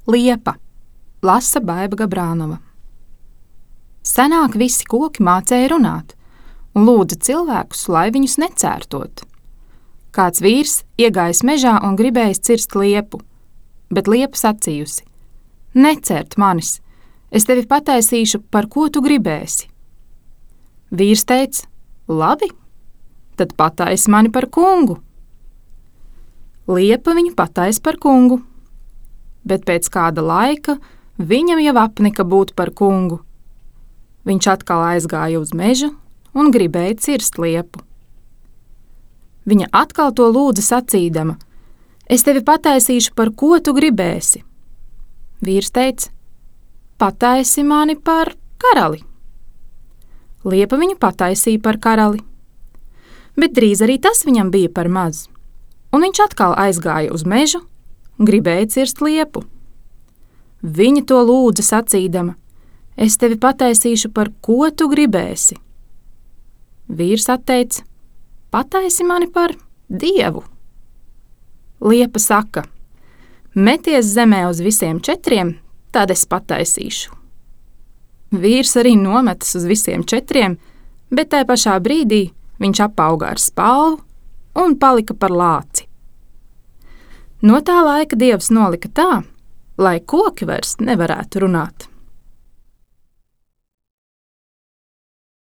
Liepa, lasa Baiba Gabrānova. Senāk visi koki mācēja runāt un lūdza cilvēkus, lai viņus necērtot. Kāds vīrs iegājis mežā un gribējis cirst liepu, bet liepa sacījusi: Necērt manis, es tevi pataisīšu, par ko tu gribēsi. Vīrs teica: Labi, tad pataisi mani par kungu. Liepa viņu pataisa par kungu, bet pēc kāda laika viņam jau apnika būt par kungu. Viņš atkal aizgāja uz mežu un gribēja cirst liepu. Viņa atkal to lūdza sacīdama: Es tevi pataisīšu, par ko tu gribēsi. Vīrs teica: Pataisi mani par karali. Liepa viņu pataisīja par karali, bet drīz arī tas viņam bija par maz, un viņš atkal aizgāja uz mežu un gribēja cirst liepu. Viņa to lūdza sacīdama: Es tevi pataisīšu, par ko tu gribēsi. Vīrs atteica: Pataisi mani par Dievu. Liepa saka: Meties zemē uz visiem 4, tad es pataisīšu. Vīrs arī nometas uz visiem 4, bet tajā pašā brīdī viņš apauga ar spalvu un palika par lāci. No tā laika Dievs nolika tā, lai koki vairs nevarētu runāt.